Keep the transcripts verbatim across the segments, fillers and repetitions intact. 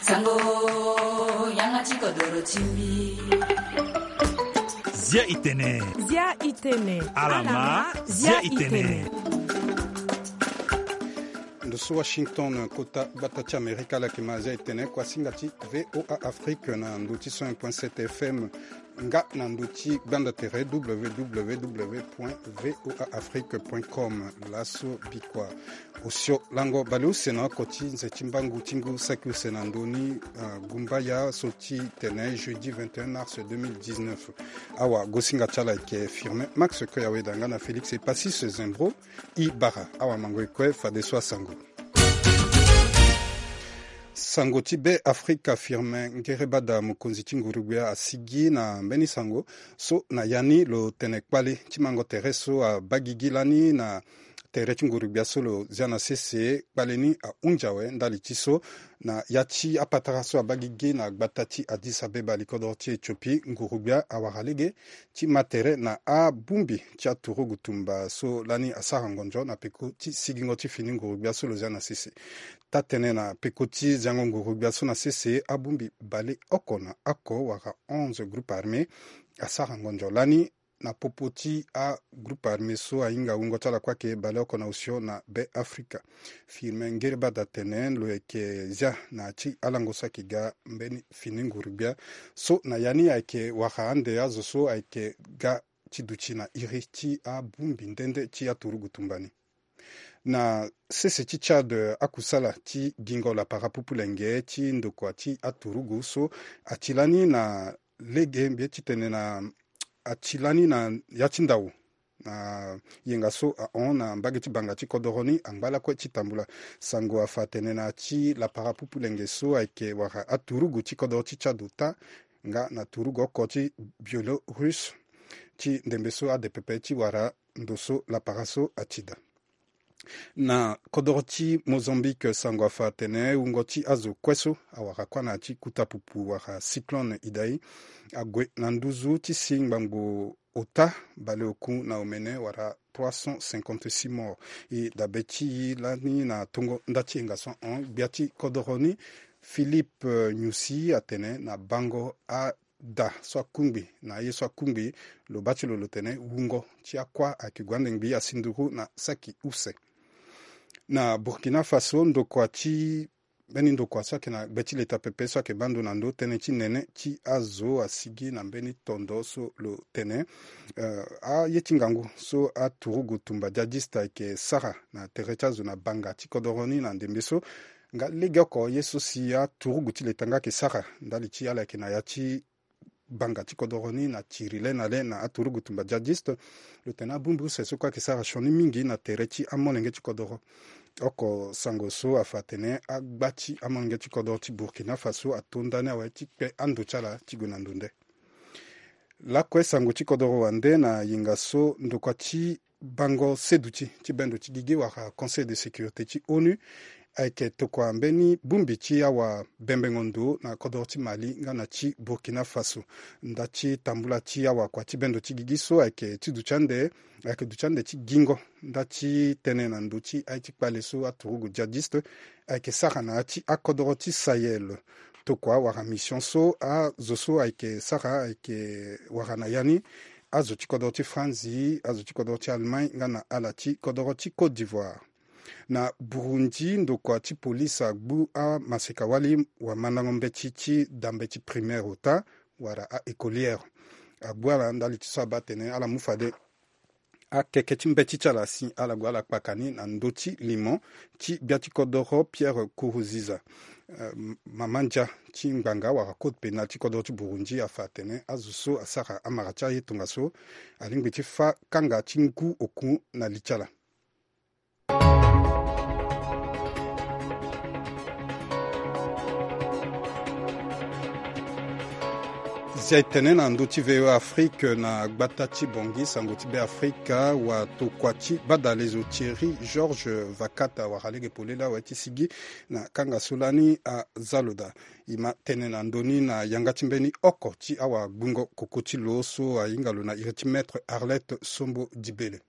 Sango, yanga ti kodoro ti mbi. Zia itene. Zia itene. Alama, zia itene. Ndo so Washington, kota gbata ti Amerika, ala yeke ma zia itene kuasinga ti VOA Afrique na ndo ti cent un point sept F M, nga na ndo ti gbanda tere www point voa afrique point com. Laso bikua osio lango bale use na oko ti nze ti mbangu ti ngu saki use na ndoni, ah, gumbaya so ti tene jeudi vingt et un mars deux mille dix-neuf. Awagosinga ti ala ayeke Firmin Max Koyaweda nga na Félix Epasis Zembro. I bara awamango e kue fadeso asango. Sango ti Be Afrika, Firmin Ngerebada, mokonzi ti nguru-gbia, asigi na mbeni sango so na ya ni lo tene kpale ti mango tere so abaa gigi lani na tere ti nguru-gbia so lo zia na sese. Kpale ni ahunzi awe ndali ti so na ya ti apatara so abaa gigi na gbata ti Addis Abeba, likodoro ti Éthiopie, nguru-gbia awara lege ti ma tere na abongbi ti aturugu tumba so lani asara ngonzo na peko ti sigingo ti fini nguru-gbia so lo zia na sese. Taa-tënë na peko ti ziango nguru-gbia so na sese, abongbi baleoko na oko wala onze groupe armé asara ngonzo lani na popo ti agroupe armé so ahinga wungo ti ala kue ayeke baleoko na osio na Be Afrika. Firmin Ngerebada atene lo yeke zia na ya ti alango so ayeke ga mbeni fini nguru-gbia so na ya ni ayeke wara ande azo so ayeke ga ti duti na iri ti abongbi nde nde ti aturugu tumba ni. Na sese ti Tchad, akusala ti gingo lapara pupulenge ti ndokua ti aturugu so ati lani na lege mbi ye ti tene na ati lani na ya ti ndau na yenga so ahon na mbage ti banga ti kodoro ni angba lakue ti tambula. Sango afa atene na ya ti lapara pupulenge so ayeke wara aturugu ti kodoro ti Tchad ota nga na turugu oko ti Biélorusse ti ndembe so ade pepe ti wara ndo so lapara so ati daa. Na kodoro ti Mozambique, sango afa atene wungo ti azo kue so awara kuâ na ya ti kuta pupu wala cyclone Idai ague na nduzu ti si ngbangbo ota baleoku na omene wala trois cent cinquante-six morts. E dabe ti e lani na tongo nda ti yenga so ahon gbia ti kodoro ni, Philippe, eh, Nyusi atene na bango a da so akungbi na aye so akungbi, lo baa ti lo lo tene wungo ti akuâ ayeke gue ande ngbii asi nduru na saki use. Na Burkina Faso, ndokua ti mbeni ndokua so ayeke na gbe ti leta pepe so ayeke baa ndo na ndo tënë ti nene ti azo asigi na mbeni tondo so lo tene, eh, aye ti ngangu so aturugu tumba djadiste ayeke sara na tere ti azo na banga ti kodoro ni na ndembe so nga legeoko ye so si aturugu ti leta nga ayeke sara ndali ti ala yeke na ya ti banga ti kodoro ni na tiri le na le na aturugu tumba djadiste. Lo tene abongbi use so kue ayeke sara sioni mingi na tere ti amolenge ti kodoro. Oko sango so afa atene agba ti amolenge ti kodoro ti Burkina Faso ato ndani awe ti kpe ando ti ala ti gue na ndo nde. Lakue sango ti kodoro wande na yenga so ndokua ti bango seduti ti bendo ti gigi wala Conseil de sécurité ti onu ayeke tokua mbeni bongbi ti awa bembengo ndo na kodoro ti Mali nga na ti Burkina Faso. Nda ti tambula ti awakua ti bendo ti gigi so ayeke ti duti ande, ayeke duti ande ti gingo nda ti tënë na ndo ti aye ti kpale so aturugu djadiste ayeke sara na ya ti akodoro ti Sahel. Tokua wala mission so azo so ayeke sara ayeke wara na ya ni azo ti kodoro ti Franzi, azo ti kodoro ti Allemagne nga na ala ti kodoro ti Côte d'Ivoire. Na Burundi, ndokua ti polise agbu amaseka-wali wamandango mbeti ti da mbeti primaire ota wala a-écolière. Agbu ala ndali ti so abaa atene ala mu fade akeke ti mbeti ti ala si ala gue ala kpaka ni na ndö ti limo ti gbia ti kodoro Pierre Nkurunziza. Eh, mama ndia ti ngbanga wala code pénal ti kodoro ti Burundi afa atene azo so asara amara ti aye tongaso alingbi ti fâ kanga ti ngu oku na li ti ala. Zia e tene na ndö ti VOA Afrique na gbata ti Bangui, sango ti Be Afrika, watokua ti badalezo Thierry Georges Vakata awara lege polele awe ti sigi na kanga so lani aza lo daa. E ma tene na ndö ni na yanga ti mbeni oko ti awagbungo koko ti lo so ahinga lo na iri ti Maître Arlette Sombo Dibele.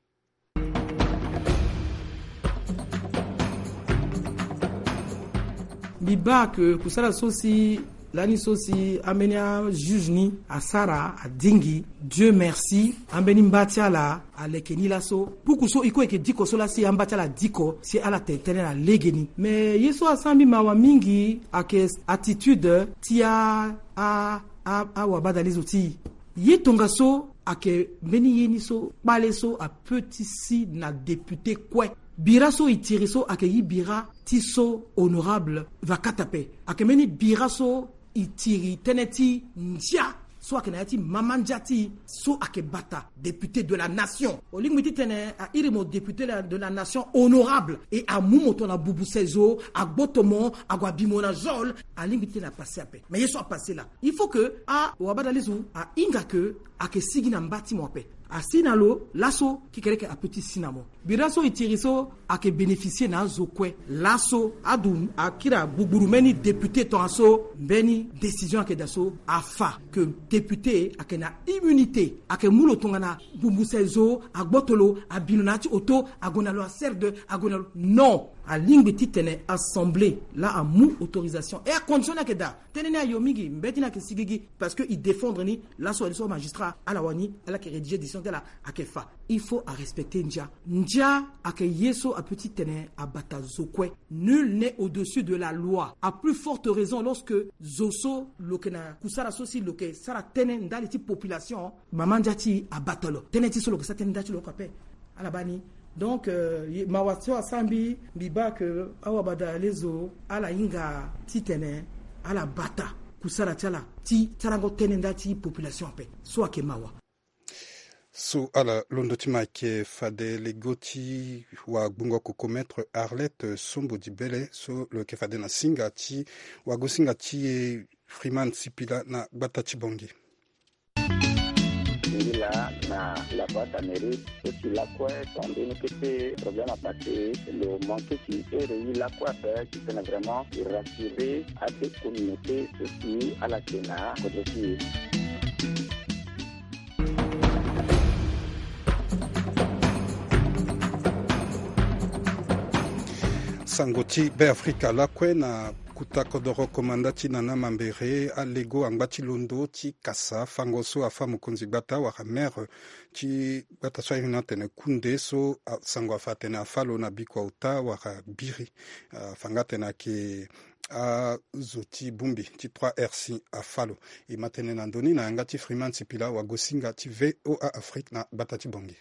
Mbi baa ke kusala so si lani so si ambeni ajuge ni asara adingi, Dieu merci, ambeni mba ti ala aleke ni laso. Puku so e kue e yeke diko so laa si amba ti ala adiko si ala tene tënë na legeni. Me ye so asara mbi mawa mingi ayeke attitude ti a a a awabadalezo ti e. Ye tongaso ayeke mbeni ye ni so kpale so ape ti si na député kue. Bira so e tiri so ayeke gi bira ti so honorable vakata ape. Ayeke mbeni bira so e tiri tënë ti ndia so ayeke na ya ti mama ndia ti e so ayeke bata député de la nation. Olingbi titene a iri mo député de la nation honorable, e amu mo tongana bubu sezo, agboto mo, ague abi mo na zol. Alingbi titene apase ape. Mais ye so apase laa, il faut que awabadalezo ahinga ke ayeke sigi na mba ti mo ape. Asi na lo laso, kekereke ape ti si na mo. Bira so e tiri so ayeke bénéficier na azo kue. Laso adu akiri agugburu mbeni député tongaso mbeni décision ayeke daa so afa ke député ayeke na immunité, ayeke mu lo tongana bubu sezo, agboto lo, abi lo na ya ti oto, ague na lo aserde, ague na lo. Non. Alingbi titene assemblée laa amu autorisation. E acondition ni ayeke daa. Tënë ni ayo mingi, mbeti ni ayeke sigigi, parce que e défendre ni. Laso wani so magistrat ala wani, ala yeke rédiger décision ti ala, ayeke fa. Il faut arespecter ndia. Ndia ayeke ye so ape titene abata zo kue. Nul n'est au-dessus de la loi. À plus forte raison lorsque zo so lo yeke na kusala so si lo yeke sara tënë ndali ti population, mama ndia ti e abata lo. Tënë ti so lo yeke sara tënë ndia ti lo oko ape. Ala baa ni. Donc, euh, ye- mawa so asara mbi, mbi baa ke awabadalezo ala hinga titene ala bata kusala ti ala ti sarango tënë nda ti population ape. So ayeke mawa. So ala londo ti ma ayeke fade lego ti wagbongo koko maître Arlette Sombo Dibele so lo yeke fade na singa ti wagosinga ti e Freeman Sipila na gbata ti Bangui. Ngi laa na la boîte à mérite so si lakue tambeni kete problème apassé, lo manqué si ere ye lakue ape titene vraiment e rassurer ade communauté so si ala yeke na kodro ti e. Sango ti Beafrika lakue na kota kodoro komanda ti Nana Mambere alego angba ti londo ti kasa fango so afa mokonzi gbata wala maire ti gbata so airi ni atene Kunde so, a- sango afa atene afa lo na bikua ota wala biri. A fa nga atene ayeke azo ti bongbi ti trois R C afa lo. E ma tene na ndö ni na yanga ti Freeman Sipila wagosinga ti V O A Afrique na gbata ti Bangui.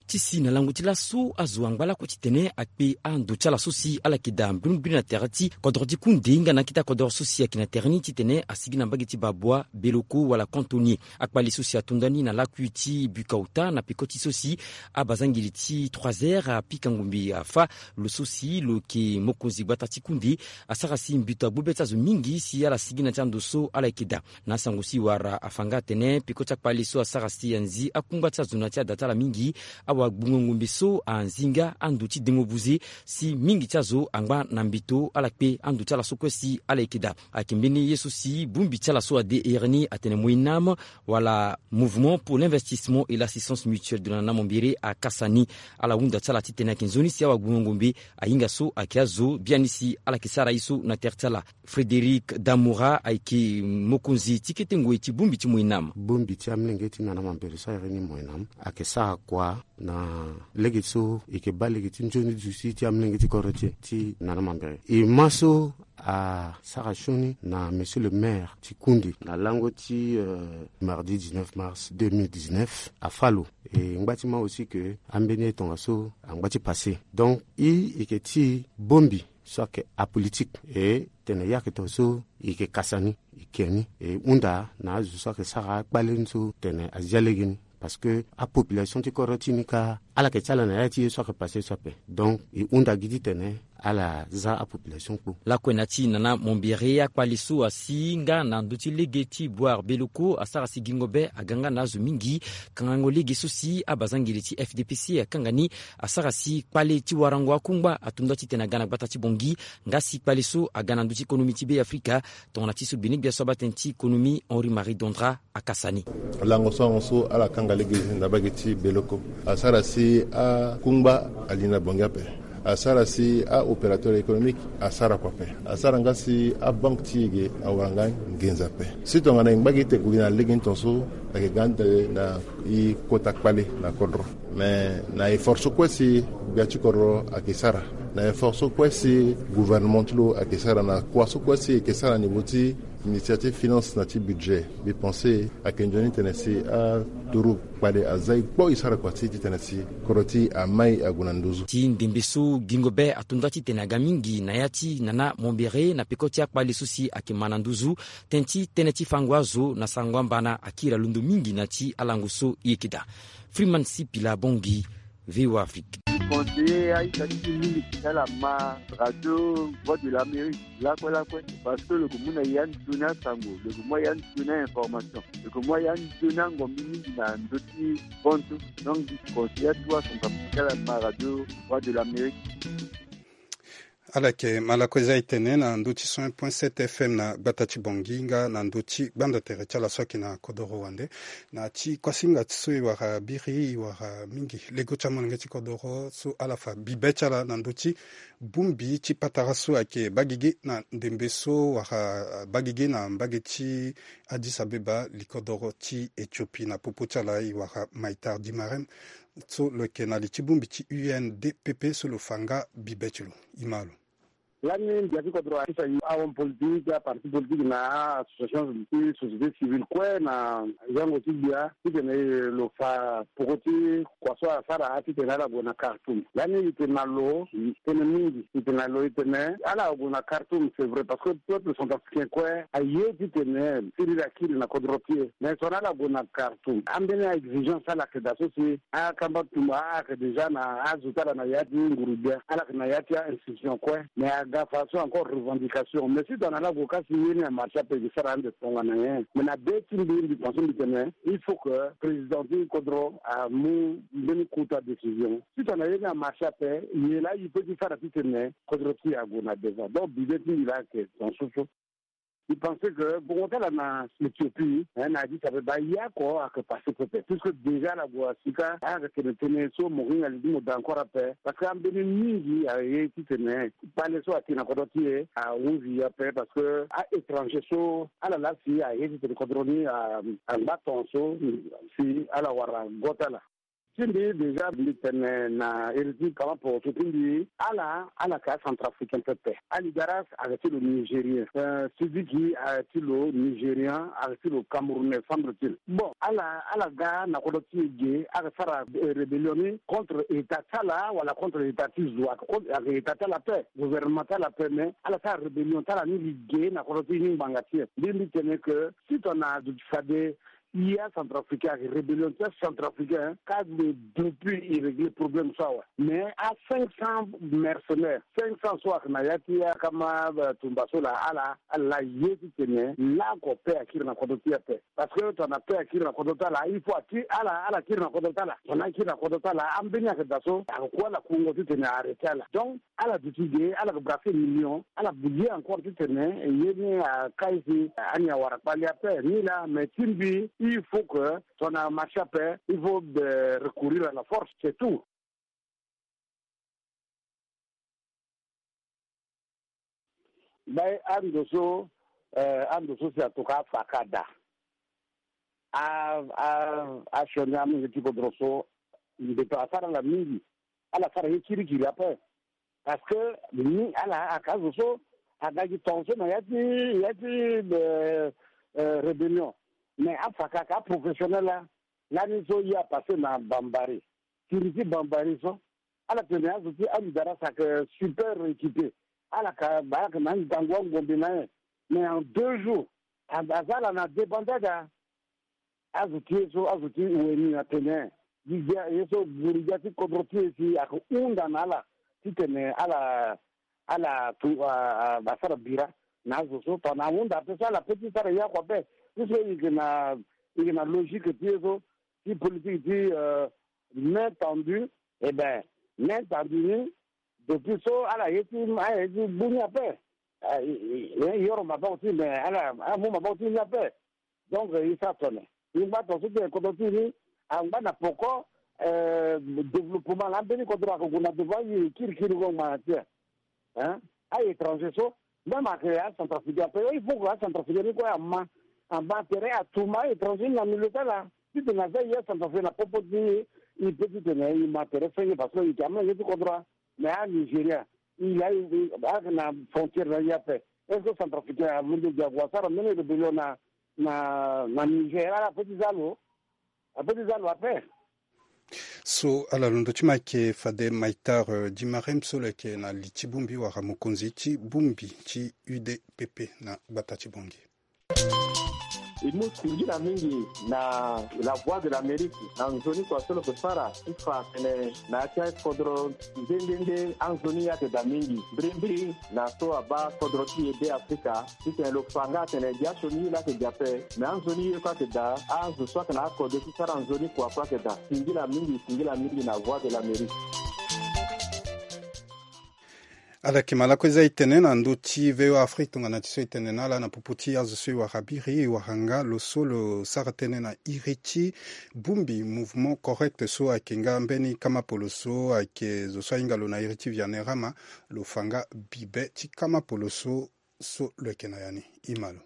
Ti si na lango ti laso azo angba lakue titene akpe ando ti ala so si ala yeke daa mbirimbiri na tere ti kodro ti Kunde nga na akita kodro so si ayeke na tere ni titene asigi na mbage ti Babua, Beloko wala Kantonie. Akpale so si atonda ni na lakui ti Bukauta na peko ti so si abazangeli ti trois R apika ngombe afa lo so si lo yeke mokonzi gbata ti Kunde asara si mbi to agbu be ti azo mingi si ala sigi na ti ando so ala yeke daa. Na asango si wara afa nga atene peko ti akpale so asara si anzi akungba ti azo na ti ada ti ala mingi. Awagbongo ngombe so anzi nga ando ti dengo buze si mingi ti azo angba na mbeto ala kpe ando ti ala so kue si ala yeke daa. Ayeke mbeni ye so si bongbi ti ala so ade ere ni atene MOINAM wala Mouvement pour l'investissement et l'assistance mutuelle de la Nana Mambere akasa ni. Ala hunda ti ala titene ayeke nzoni si awagbongo ngombe ahinga so ayeke azo biani si ala yeke sara ye so na tere ti ala. Frédéric Damoura ayeke mokonzi ti kete ngoi ti bongbi ti MOINAM. Bongbi ti amolenge ti Nana Mambere so ayeke ni MOINAM ayeke sara kua na lege so e yeke baa lege ti nzoni duti ti amolenge ti kodro ti e ti Nana Mambere. E ma so asara sioni na monsieur le maire ti Kunde na lango ti, euh, mardi dix-neuf mars deux mille dix-neuf afa lo. E ngba ti ma aussi ke ambeni ye tongaso angba ti passé. Donc e yeke ti bongbi so ayeke apolitique, e tene ye ayeke tongaso e yeke kasa ni, e ke ni, e hunda na azo so ayeke sara akpale ni so tene azia lege ni. Parce que apopulation ti kodro ti ni kâ ala yeke ti ala na ya ti ye so ayeke passé so ape. Donc e hunda gi titene ala za apopulation kpo. Lakue na ti Nana Mambere akpale so asi nga na ndö ti lege ti Boire Beloko asara si gingo be aga nga na azo mingi. Kangango lege so si abazangeli ti F D P C akanga ni asara si kpale ti warango akungba atonda titene aga na gbata ti Bangui. Nga si kpale so aga na ndö ti konomi ti Beafrika tongana ti so gbene gbia so abaa tënë ti konomi Henri Marie Dondra akasa ni. Lango so ahon so ala kanga lege na mbage ti Beloko asara si akungba ali na Bangui ape. Asara si aopérateur économique asara kua ape. Asara nga si abanque ti e ge awara nga nginza ape. Si tongana e ngba gi te gue gi na lege ni tongaso, ayeke ga ande na e kota kpale na kodro. Mais na effort so kue si gbia ti kodro ayeke sara, na effort so kue si gouvernement ti lo ayeke sara, na kua so kue si e yeke sara na niveau ti ministère ti finance na ti budget, mbi pense ayeke nzoni titene si aturu kpale aza e kpo e sara kua ti titene si kodro ti e amai ague na nduzu. Ti ndembe so gingo be ato nda titene aga mingi na ya ti nana mombere na peko ti akpale so si ayeke ma na nduzu. Tënë ti tënë ti fango azo na sango amba na akiri alondo mingi na ti alango so e yeke daa. Freeman Sipila Bongi, V O A Afrique. Conseiller aita ti mingi ti ala ma radio Voix de l'Amérique lakue lakue, parce que lo yeke mu na ya nzoni asango, lo yeke mu ya nzoni a-information, lo yeke mu ya nzoni angombi mingi na ndö ti konto. Donc mbi conseiller atu asango ti ala ma radio Voix de l'Amérique. Ala yeke ma lakue za e tene na ndö ti cent un point sept F M na gbata ti Bangui nga na ndö ti gbanda tere ti ala so ayeke na kodoro wande. Na ti kuasinga ti so e wara biri, e wara mingi lego ti amolenge ti kodoro so ala fa bibe ti ala na ndö ti bongbi ti patara so ayeke baa gigi na ndembe so wara baa gigi na mbage ti Addis Abeba, likodoro ti Éthiopie. Na popo ti ala e wara Maïtar Dimarem so lo yeke na li ti bongbi ti U N D P P so lo fa nga bibe ti lo. E ma lo. Lani gbia ti kodro akisa ahomme politique, aparti politique na a-association ti société civile kue na zango ti gbia titene lo fa poko ti kua so asara titene ala gue na Khartoum. Lani e tene na lo, e tene mingi, e tene na lo e tene ala gue na Khartoum, c'est vrai, parce que peuple centrafricain kue aye titene siriri akiri na kodro ti e. Mais so na ala gue na Khartoum, ambeni a-exigence ala yeke daa so si akamba tumba ayeke déjà na azo ti ala na ya ti nguru gbia, ala yeke na ya ti a-institution kue. Mais aga façon encore revendication. Mais si tongana ala gue ka si ye ni amarche ape, e ke sara ande tongana nyen? Mais na be ti mbi, mbi pense mbi tene il faut que président ti kodro amu mbeni kota décision. Si tongana ye ni amarche ape, ye laa e peut ti sara titene kodro ti e ague na devant. Donc bibe ti mbi laa ayeke dans ce sens. Mbi pense que bongo ti ala na Éthiopie, eh, na Addis Abeba, ye oko ayeke passé pepe. Puisque déjà ala gue asika, ayeke tene tënë so mo hinga li ti mo daa encore ape. Parce que ambeni mingi aye titene kpale so ayeke na kodro ti e ahunzi e ape. Parce que a-étranger so ala laa si aye titene kodro ni a, angba tongaso si ala wara go ti ala. Ti mbi déjà mbi tene na iri ti kama poroso ti mbi, ala, ala yeke a-centrafricain pepe. Ali Daras ayeke ti lo nigérien. Euh, Sidiki ayeke ti lo nigérien, ayeke ti lo camerounais, semble-t-il. Bon, ala, ala ga na kodro ti e ge, ayeke sara, euh, rébellion ni contre état ti ala wala contre état ti zo, ayeke contre, ayeke état ti ala ape, gouvernement ti ala ape, mais ala sara rébellion ti ala ni li ge na kodro ti e ni ngbanga ti e. Mbi, mbi tene que si tongana azo ti fade, i a-centrafricain ayeke rébellion ti a-centrafricain, ka de depuis i régler problème so awe. Mais a-cinq cents mercenaires, cinq cents so ayeke na ya ti akama, euh, tumba so laa, ala, ala ye titene laoko paix akiri na kodro ti e ape. Parce que tongana paix akiri na kodro ti ala, il faut ati ala, ala kiri na kodro ti ala. Tongana akiri na kodro ti ala, ambeni ayeke daa so ayeke ku ala kungo titene a-arrêter ala. Donc ala duti ge, ala yeke brasser million, ala ye encore titene ye ni akai si ani awara kpale ape ni laa. Mais ti mbi, il faut que tongana marche ape, il faut, euh, recourir à la force, c'est tout. Baa ando so, euh, ando so si atoka afa ka daa. A, a, asioni amolenge ti kodro so, mbeto asara ala mingi. Ala sara ye kirikiri ape. Parce que ni ala ayeke azo so aga gi tongaso na ya ti, ya ti, euh, euh, rébellion. Mais afa ka ayeke aprofessionnel laa. Lani so ye apasser na Bambari. Siriri ti Bambari so, ala tene azo ti Amidara ayeke super équipé. Ala ka, ala yeke na ngangu angombe na ye. Mais en deux jours, a, aza ala na débandade. Azo ti e so, azo ti weni atene gi gbia ye so, guru gbia ti kodro ti e si ayeke hunda na ala titene ala, ala tu, a, a, asara bira na azo so. Tongana ahunda ape so, ala peut ti sara ye oko ape. Puisque e yeke na, e yeke na logique ti e so, ti politique ti, euh, main tendue. Eh ben, main tendue ni, depuis so ala ye ti, ala ye ti gbu ni ape. Ah, e, e, e, yoro maboko ti e, mais ala, ala mu maboko ti e ni ape. Donc e sara tongana e ngba tongaso ti kodro ti e ni, angba na poko, Développement la mbeni kodro ako gue na devant, aye kirikiri ngo ma na ti e. Hein? Aye étranger so, même ayeke acentrafricain ape, il faut que acentrafricain ni kue ama, ama tere, atuma étranger ni na milieu ti ala. Titene aza ye acentrafricain na popo ti e, e pe titene e ma tere senge parce que e yeke amolenge ti kodro. Mais anigeria, e la, e, e, ayeke na frontière na e ape. Est-ce que centrafricain alondo gi ague asara mbeni rébellion na, na, na Niger? Ala pe ti za lo. Ape ti za lo ape. So ala londo ti ma ayeke fade Maitar, eh, Dimarem so lo yeke na li ti bongbi wala mokonzi ti bongbi ti U D P P na gbata ti Bangui. E mu singila mingi na La Voix de l'Amérique na nzoni kua so lo yeke sara ti fa atene na ya ti akodro nde nde nde anzoni ye ayeke daa mingi mbirimbiri na so abaa kodro ti e Be Afrika. Titene lo fa nga atene gi asioni ye laa ayeke gi ape, me anzoni ye kue ayeke daa, azo so ayeke na akode ti sara nzoni kua kue ayeke daa. Singila mingi, singila mingi na Voix de l'Amérique. Ala yeke ma lakue za e tene na ndö ti V O A Afrique tongana ti so e tene na ala na popo ti azo so e wara biri, e wara nga lo so lo sara tënë na iri ti bongbi Mouvement Correct so ayeke nga mbeni kama polo so ayeke zo so ahinga lo na iri ti Vianerama, lo fa nga bibe ti kama polo so, so lo yeke na ya ni. E ma lo.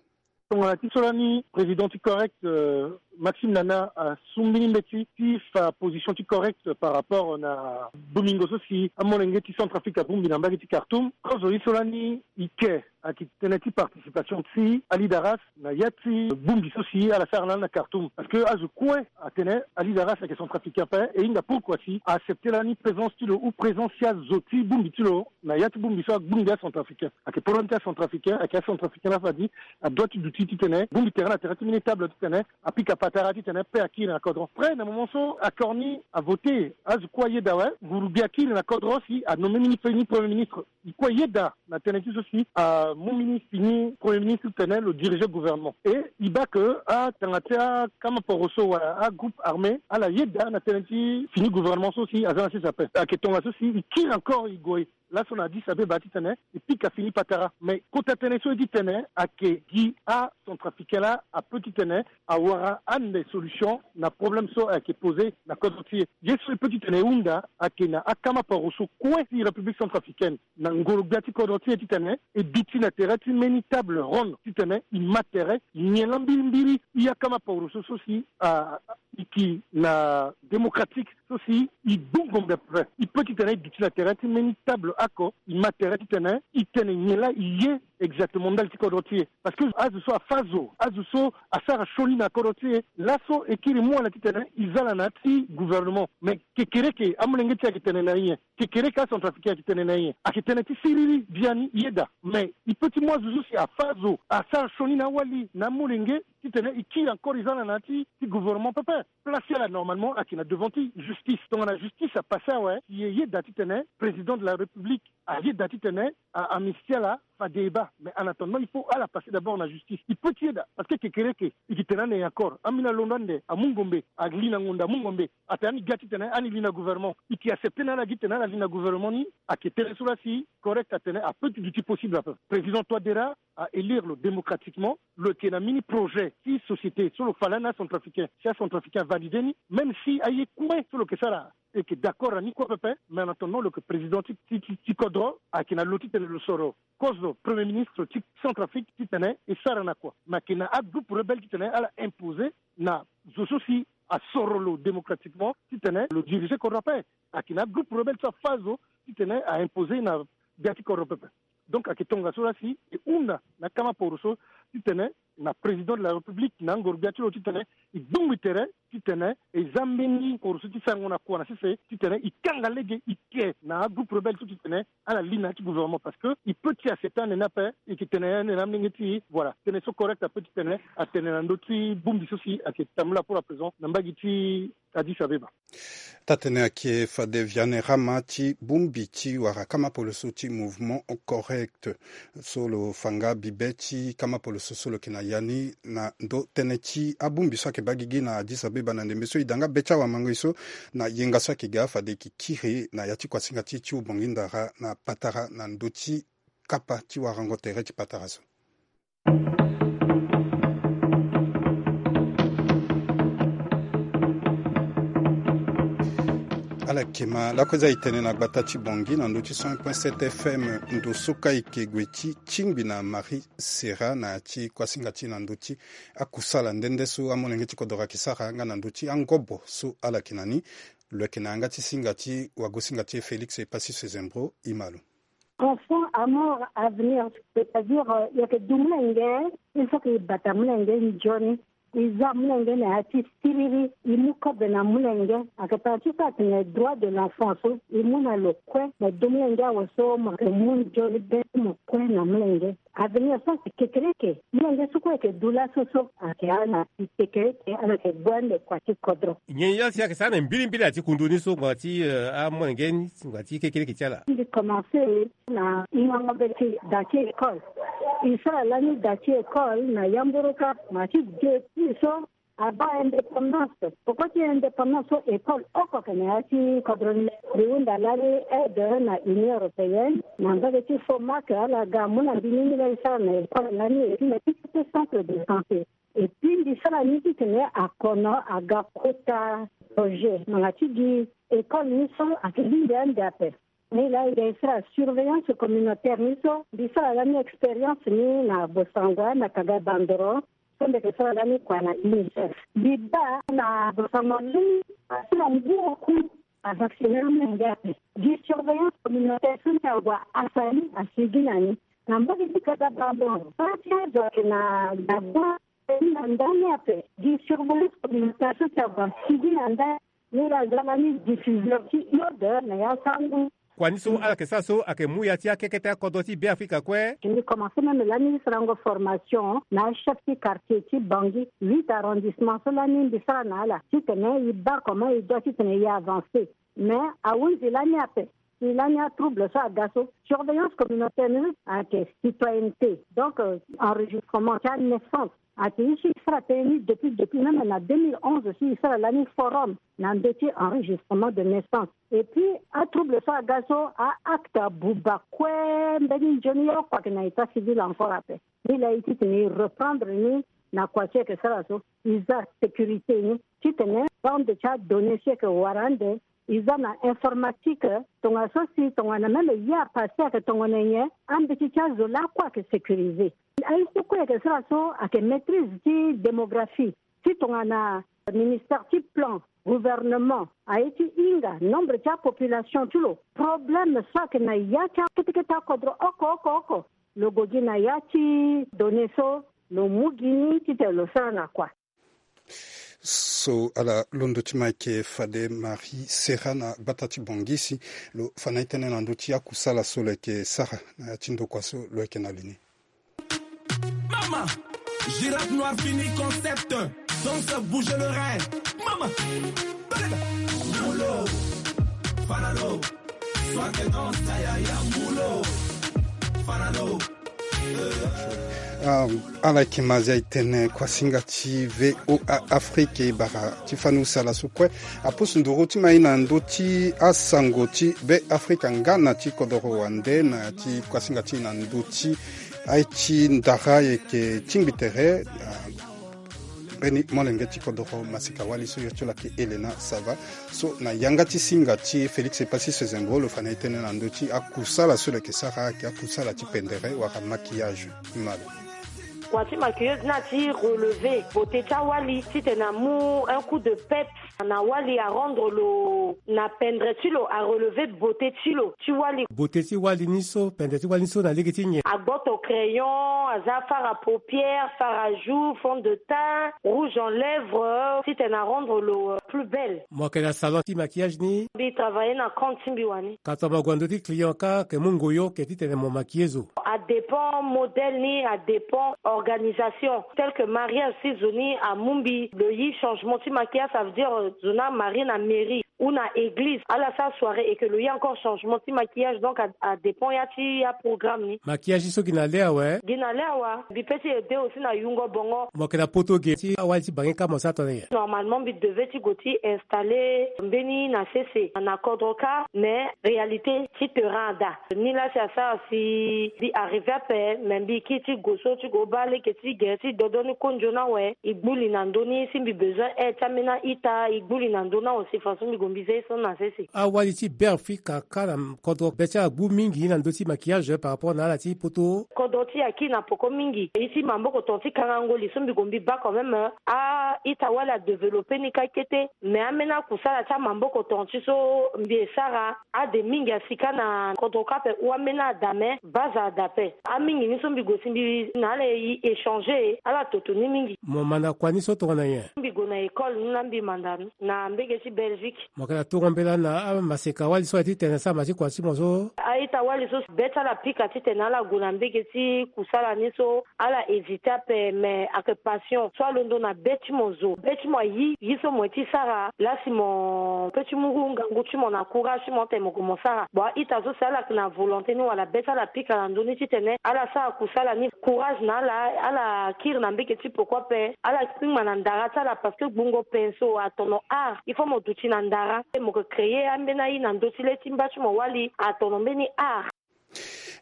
Tongana ti so lani président ti Correct, euh, Maxime Nana asu mbeni mbeti ti fa position ti Correct par rapport na bomingo so si amolenge ti Centrafrique abongbi na mbage ti Khartoum. Kozo ye so lani e ke ayeke tënë ti participation ti alidaras na ya ti bongbi so si ala sara lani na Khartoum. Parce que azo kue atene alidaras ayeke centrafricain ape, e hinga pourquoi si a accepté lani présence ti lo ou présence ti azo ti bongbi ti lo na ya ti bongbi so agbongbi acentrafricain. Ayeke problème ti acentrafricain, ayeke acentrafricain laa fade adoit ti duti titene bongbi tere na tere ti mbeni table titene apika patara titene paix akiri na kodro. Après na moment so accord ni avoté, azo kue ayeda awe, nguru gbia akiri na kodro si anommé mbeni premier ministre. E kue ayeda na tënë ti so si amu mbeni fini premier ministre titene lo diriger gouvernement. Et e baa que atanga ti akama poro so wala agroupe armé ala yeda na tënë ti fini gouvernement so si aza na sese ape. Ayeke tongaso si e kiri encore e gue laso na Addis Abeba titene e pika fini patara. Mais kota tënë so ye titene ayeke gi acentrafricain laa apeut titene awara ande solution na problème so ayeke posé na kodro ti e. Ye so e peut titene e hunda ayeke na akama paro so kue ti République centrafricaine na ngoro gbia ti kodro ti e titene e duti na tere ti mbeni table ronde titene e ma tere, e nyen laa mbirimbiri e akama paro so so si a, a, e yeke na démocratique so si e bongombe pepe. E peut titene e duti na tere ti mbeni table oko e ma tere titene e tene nyen laa e ye exactement ndali ti kodro ti e. Parce que azo so afâ zo, azo so asara sioni na kodro ti e, laso e kiri mu ala titene e za ala na ya ti gouvernement. Mais kekereke amolenge ti e ayeke tene na e nyen? Kekereke acentrafricain ayeke tene na e nyen? Ayeke tënë ti siriri biani e yeda. Mais e peut ti mu azo so si afâ zo, asara sioni na awali na amolenge titene e kiri encore e za ala na ya ti, ti gouvernement pepe. Place ti ala normalement ayeke na devant ti justice. Tongana justice apassé awe, si e yeda titene président de la République ayeda titene a amnistie ala, fade e baa. Mais en attendant il faut ala passer d'abord na justice. E peut ti yeda parce que kekereke e yeke tene ande nyen encore? Ambeni alondo ande amu ngombe, ali na ngonda amu ngombe. Atene ani ga titene ani li na gouvernement. E yeke accepté na ala gi titene ala li na gouvernement ni? Ayeke tënë so laa si Correct atene apeut ti duti possible ape. Président Touadéra a élire lo démocratiquement, lo yeke na mbeni projet ti société so lo fa lani acentrafricain, si acentrafricain avalidé ni, même si aye kue so lo yeke sara e yeke d'accord na ni kue pepe. Mais en attendant lo yeke président ti, ti, ti, ti kodro, ayeke na lo titene lo soro kozo premier ministre ti Centrafrique titene e sara na kua. Mais ayeke na agroupe rebelle titene ala imposé na zo so si asoro lo démocratiquement titene lo diriger kodro ape. Ayeke na agroupe rebelle so afâ zo titene a imposé na gbia ti kodro pepe. Donc ayeke tongaso laa si e hunda na akama poro so titene na président de la République na angoro gbia ti lo titene e gbongbi tere titene e za mbeni poro so ti sarango na kua na sese titene e kanga lege e ke na agroupe rebelle so titene ala li na ya ti gouvernement. Parce que e peut ti accepté ande ni ape. E yeke tene ande na amolenge ti e. Voilà, tënë so Correct apeut titene atene na ndö ti bongbi so si ayeke tambula pour à présent na mbage ti Addis Abeba. Taa-tënë ayeke fade Vianerama ti bongbi ti wara kama polo so ti Mouvement Correct so lo fa nga bibe ti kama polo so so lo yeke na ya ni na ndö tënë ti abongbi so ayeke baa gigi na Addis Abeba na ndembe so e da nga be ti awamangoi so na yenga so ayeke ga fade e yeke kiri na ya ti kuasinga ti e ti Ubangui Ndara na patara na ndö ti kapa ti warango tere ti patara so. Akema lakue za itene na gbata ti bongi na ndö ti cent point sept F M. Ndo so ka eke gue ti tingbi na Marie Serra na ya ti kuasinga ti na ndö ti akusala nde nde so amolenge ti kodoro ake sara nga na ndö ti angobo so ala yeke na ni. Lo yeke na yanga ti singa ti wagosinga ti e Félix Epassis Sezembro. Ima lo. Enfant à mort à venir, c'est-à-dire, euh, yeke du molenge, il faut que i bata molenge nzoni. I za molenge na ya ti siriri, i mu kobe na molenge. Ake tara ti so atene droit de l'enfant so i mu na lo kue, na du molenge awe so mo yeke mu nzoni be ti mo kue na molenge. Avenir so ayeke kekereke. Molenge so kue ayeke du laso so ayeke ala na si kekereke, ala yeke gue ande kua ti kodro. Nyen ye si ayeke sara na mbilimbili ati kundu ni so ngbanga ti, eh, amolenge ni ngbanga ti kekereke ti ala? Mbi commencé na hingango be ti da ti école. I sara lani da ti école na yamburu kâ, ma ti depuis so abaa indépendance. Poko ti indépendance so école oko ayeke na ya ti kodro ni. Mbi hunda lani aide na Union européenne na mbage ti Fomac, ala ga amu na mbi ni, mbi laa e sara na école lani, et puis na ti ti centre de santé. Et puis mbi sara ni titene akono aga kota projet ngbanga ti gi école ni so ayeke lingbi ande ape. Ni laa e ga e sara surveillance communautaire ni so, mbi sara lani expérience ni na Bossangoa na Kaga Bandoro, so mbi yeke sara lani kua na UNICEF. Mbi baa na Bossangoa lani, asi na ngu oku avacciner amolenge ape. Gi surveillance communautaire so ni ague asali asigi na ni. Na mbage ti Kaga Bandoro, so ti azo ayeke na Gabon, na ndani ape, gi surveillance communautaire so ti ague asigi na ndani. Ni laa aza lani diffuseur ti iode na ya sango. Kua ni so ala yeke sara so ayeke mu ya ti akekete akodro ti Beafrika kue. Mbi commencé même lani sarango formation na achef ti quartier ti Bangui, huit arrondissement so lani mbi sara na ala titene e baa comment e doit titene e avancer. Mais ahunzi lani ape, si lani atrouble so aga so, surveillance communautaire ni ayeke citoyenneté. Donc, euh, enregistrement ti anaissance. Ayeke ye ti sara tënë ni depuis, depuis même na deux mille onze aussi, e sara lani forum na ndö ti enregistrement de naissance. Et puis atrouble so aga so, a-acte abuba kue, mbeni nzoni ye oko ayeke na état civil encore ape. Ni laa e titene e reprendre ni na kua ti e yeke sara so, e za sécurité ni titene bande ti adonnée so e yeke wara ande, e za na informatique. Tongana so si tongana même ye apassé ayeke tongana nyen, ambeti ti azo lakue ayeke sécurisé. Aye so kue e yeke sara so ayeke maîtrise ti démographie ti tongana ministère ti plan, gouvernement aye ti hinga nombre ti apopulation ti lo, problème so ayeke na ya ti akete kete akodro oko oko oko, lo gue gi na ya ti donnée so, lo mu gi ni titene lo sara na kua. So ala londo ti ma ayeke fade Marie Serra na gbata ti Bangui si lo fa na e tënë na ndö ti akusala so lo yeke sara na ya ti ndokua so lo yeke na li ni. Mama, girafe noir fini concept, danse bouge le rein. Mama, belega, mulo, fanalo, soit que danse ta yaya, mulo, fanalo. Ah, ala yeke ma zia e tene kuasinga ti V O A Afrique e bara ti fani usala so kue apusu nduru ti ma e na ndö ti asango ti Beafrika nga na ti kodoro wande na ya ti kuasinga ti e na ndö ti aye ti ndara e yeke tingbi tere. Ah, mbeni molenge ti kodoro masika wali so yo ti lo ayeke Helena Sava. So na yanga ti singa ti Félix Epassis Sezembro lo fa na e tënë na ndö ti akusala so lo yeke sara ayeke akusala ti pendere wala maquillage. Ti ma lo. Kua ti maquilleuse ni ati relever beauté ti awali titene amu un coup de peps na wali, arendre lo na pendere ti lo, arelever beauté ti lo ti wali. Beauté ti wali ni so, pendere ti wali ni so na lege ti nyen? Agboto crayon, aza fard à paupières, fard à joues, fond de teint, rouge en lèvres, titene arendre lo, euh, plus belle. Mo yeke na salon ti maquillage ni? Mbi travailler na compte ti mbi wani. Ka tongana mo gue na ndö ti client ka, ke mu ngoyo ke titene mo maquiller zo? Adépend modèle ni, adépend organisation. Tel que mariage, si zo ni amu mbi lo yi changement ti maquillage, ça veut dire, euh, zo ni amarie na mairie ou na église, ala sara soirée et que lo yi encore changement ti maquillage, donc a, adépend ya ti aprogramme ni. Maquillage so gi na le awe? Gi na le awe. Mbi peut ti aider aussi na yungo bongo. Mo yeke na poto ge ti awali ti bange ka mo sara tongana nyen? Normalement mbi devait ti gue ti installer mbeni na sese na kodro ka, mais réalité ti terrain ada. Ni laa si asara si mbi arriver ape, mais mbi kiri ti gue so ti gue baa lege ti gere ti dodo ni konzo ni awe. E gbu li na ndö ni si mbi besoin aide ti ambeni a-ita, e gbu li na ndö ni awe si façon mbi gue. Mbi zia ye so na sese. Awali ti Beafrika ka na kodro be ti ala gbu mingi na ndö ti maquillage par rapport na ala ti poto. Kodro ti e akiri na poko mingi. Ye ti maboko tonga ti kangango li so mbi gue mbi baa quand même, a-ita wali adéveloppé ni kâ kete. Mais ambeni akusala ti amaboko tonga ti so mbi e sara, ade mingi asi kâ na kodro kâ ape, ou ambeni ada, mais base ada ape. Amingi ni so mbi gue si mbi na ala e échanger, ala toto ni mingi. Mo manda kua ni so tongana nyen? Mbi gue na école ni laa mbi manda ni na mbege ti Belgique. Mo yeke na tongo mbela na amaseka wali so aye ti tene asara ma ti kua ti mo so? A-ita wali so be ti ala pika titene ala gue na mbege ti kusala ni so, ala hésité ape, mais ayeke passion so alondo na be ti mo zo. Be ti mo ayi ye so mo ye ti sara, laa si mo peut ti mu ngangu ti mo na courage ti mo tene mo gue mo sara. Bon, a-ita so si ala yeke na volonté ni wala be ti ala pika na ndö ni titene ala sara kusala ni, courage na ala, ala kiri na mbege ti poko ape, ala kpingba na ndara ti ala, parce que gbungo pinceau atono art, il faut mo duti na ndara, mo yeke créer ambeni aye na ndö ti le ti mba ti mo wali, atono mbeni art.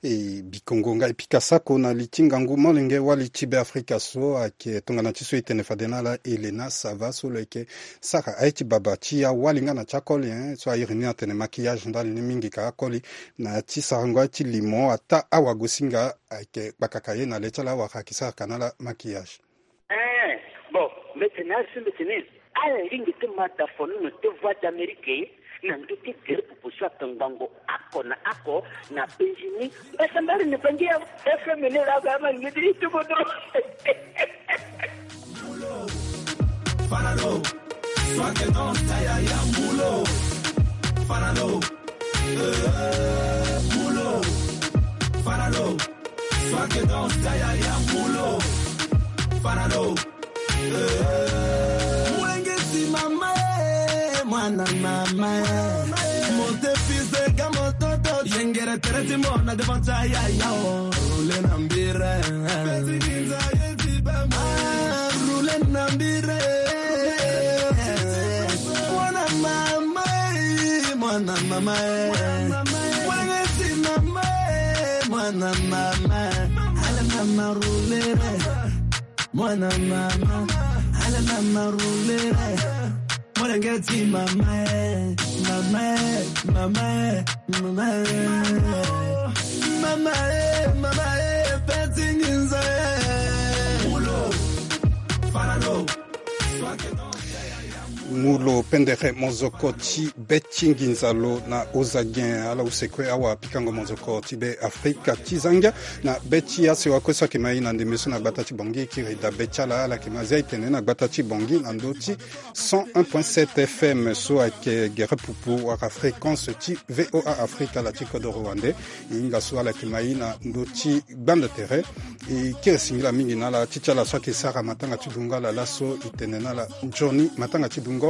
E bikongo nga e pika sako na li ti ngangu molenge wali ti Beafrika so ayeke tongana ti so e tene fade na ala Elena Sava so lo yeke sara aye ti baba ti awali nga na ti akoli, hein, so a iri ni atene maquillage ndali ni mingi ka akoli na ya ti sarango aye ti limo ataa awagosinga ayeke kpakaka ye na le ti ala awara ayeke sara ka na ala maquillage. Eh, bon, mbi tene azo mbi tene ala lingbi ti mata fo ni na ti Voix d'Amérique na ndö ti gere pupu so ayeke ngbongo oko na oko na penzi ni. Mbasambala ni bangi ya F M ni laa ga ama ni ti tubo dro. Fanalo, soit que dans ta ya ya mulo. Fanalo, eh, mulo. Fanalo, soit que dans ta ya ya mulo. Fanalo, eh. Mulengeti mama, eh, mwana mama, eh. Mon défilé kama toto, yengere tere ti mona devant ta ya ya, oh. Roule na mbira. Ah, roule na mbira. Mwana mama, eh, mwana mama, eh. Mwana ti mama, eh, mwana mama. Ala mama roule. Mwana mama, ala mama roule. Mwana ngeti mama, eh, mama, eh, mama, eh, mama, eh. Mama, eh, mama, eh, peti nginza, eh. Mulo, fanalo. Mulo pendere mozoko ti be ti nginza lo na ozagen, ala use kue awa pikango mozoko ti Beafrika ti zangia na be ti asewa kue so ayeke ma e na ndembe so na gbata ti Bangui, kiri dabe ti ala, ala yeke ma zia e tene na gbata ti Bangui na ndö ti cent un point sept F M so ayeke gere pupu wala fréquence ti V O A Afrique, ala ti kodoro wande. E hinga so ala yeke ma e na ndö ti gbanda tere. E kiri singila mingi na ala ti ti ala so ayeke sara matanga ti dungo ala laso, e tene na ala nzoni matanga ti dungo.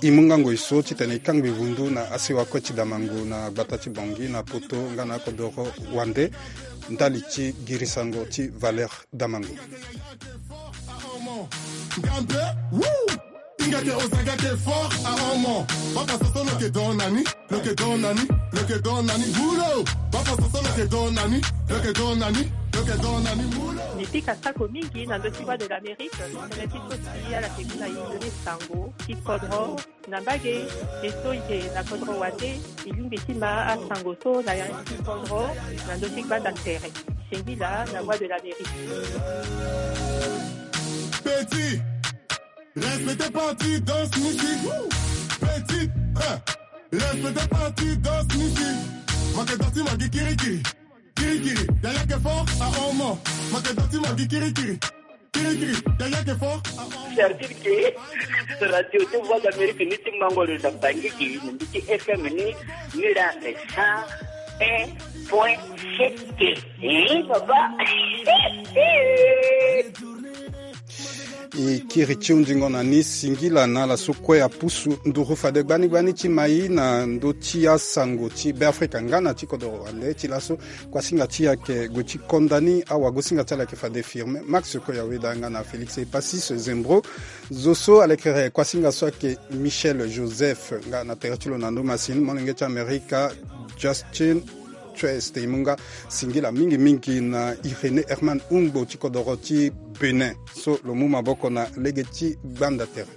E mu ngango e so titene e kangbi vundu na asewa kue ti damango na gbata ti Bangui, na poto nga na akodoro wande, ndali ti girisango ti valeur damango. Ngambe, woo! Ingake ozangake fort a omo. Papa Soso lo ke don nani? Lo ke don nani? Lo ke don nani? Mulo! Papa Soso lo ke don nani? Lo ke don nani? Lo ke don nani? Mulo! Mbi pika sako mingi na ndö ti Voix de l'Amérique, tënë ti so si ala ke mu na e ndö ni sango ti kodro na mbage, e so e yeke na kodro wande, e lingbi ti ma asango so na ya ti kodro na ndö ti gbanda tere. Singila na Voix de l'Amérique. Petit, respectez pas ti danse musique. Petit, eh, respectez pas ti danse musique. Make danse magi kirikiri. Kirikiri, yaya ke fort a omo. Make danse magi kirikiri. Kirikiri, yaya ke fort a omo. C'est-à-dire que radio ti Voix d'Amérique ni ti mango lo na Bangui, na mbi ti F M ni, ni la cent un point sept. Eh, papa. E kiri ti hundingo na ni singila na ala so kue apusu nduru fade gbani gbani ti ma e na ndö ti asango ti Beafrika nga na ti kodoro wande. Ti laso kuasinga ti e ayeke gue ti konda ni, awagosinga ti ala ayeke fade Firmin Max Koyaweda nga na Félix Epasis Zembro. Zo so alekere kuasinga so ayeke Michel Joseph nga na tere ti lo na ndo masini, molenge ti Amerika Justin Twest. E mu nga singila mingi mingi na Irénée Herman Hungbo ti kodoro ti Bénin so lo mu maboko na lege ti gbanda tere.